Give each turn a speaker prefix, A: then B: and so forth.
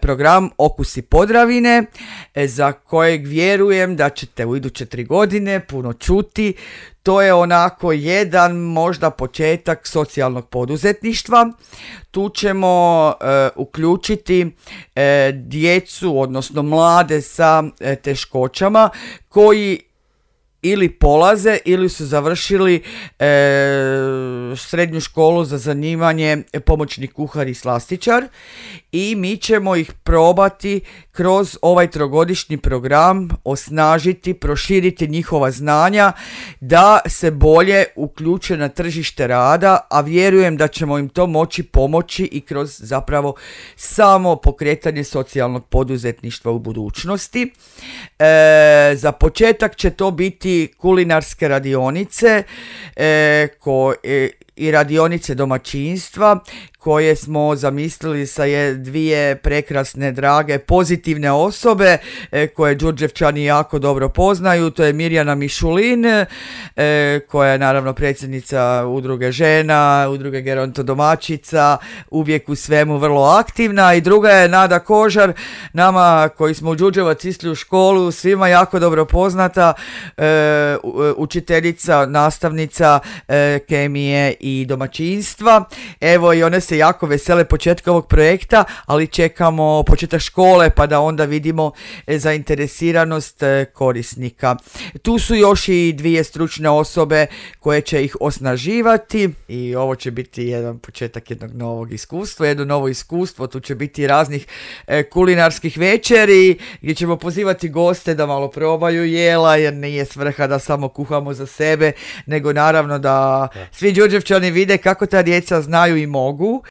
A: program Okusi Podravine, za kojeg vjerujem da ćete u iduće 3 godine puno čuti. To je onako jedan možda početak socijalnog poduzetništva. Tu ćemo uključiti djecu, odnosno mlade sa teškoćama koji ili polaze ili su završili srednju školu za zanimanje pomoćni kuhar i slastičar i mi ćemo ih probati kroz ovaj 3-godišnji program osnažiti, proširiti njihova znanja da se bolje uključe na tržište rada, a vjerujem da ćemo im to moći pomoći i kroz zapravo samo pokretanje socijalnog poduzetništva u budućnosti. Za početak će to biti kulinarske radionice i radionice domaćinstva koje smo zamislili sa 2 prekrasne, drage, pozitivne osobe koje Đurđevčani jako dobro poznaju. To je Mirjana Mišulin koja je naravno predsjednica udruge žena, udruge gerontodomaćica, uvijek u svemu vrlo aktivna, i druga je Nada Kožar, nama koji smo u Đurđevac išli u školu svima jako dobro poznata, učiteljica, nastavnica kemije i domaćinstva. Evo, i one se jako vesele početka ovog projekta, ali čekamo početak škole pa da onda vidimo zainteresiranost korisnika. Tu su još i 2 stručne osobe koje će ih osnaživati i ovo će biti jedan početak jednog novog iskustva, jedno novo iskustvo. Tu će biti raznih kulinarskih večeri gdje ćemo pozivati goste da malo probaju jela, jer nije svrha da samo kuhamo za sebe, nego naravno da svi Đurđevčani vide kako ta djeca znaju i mogu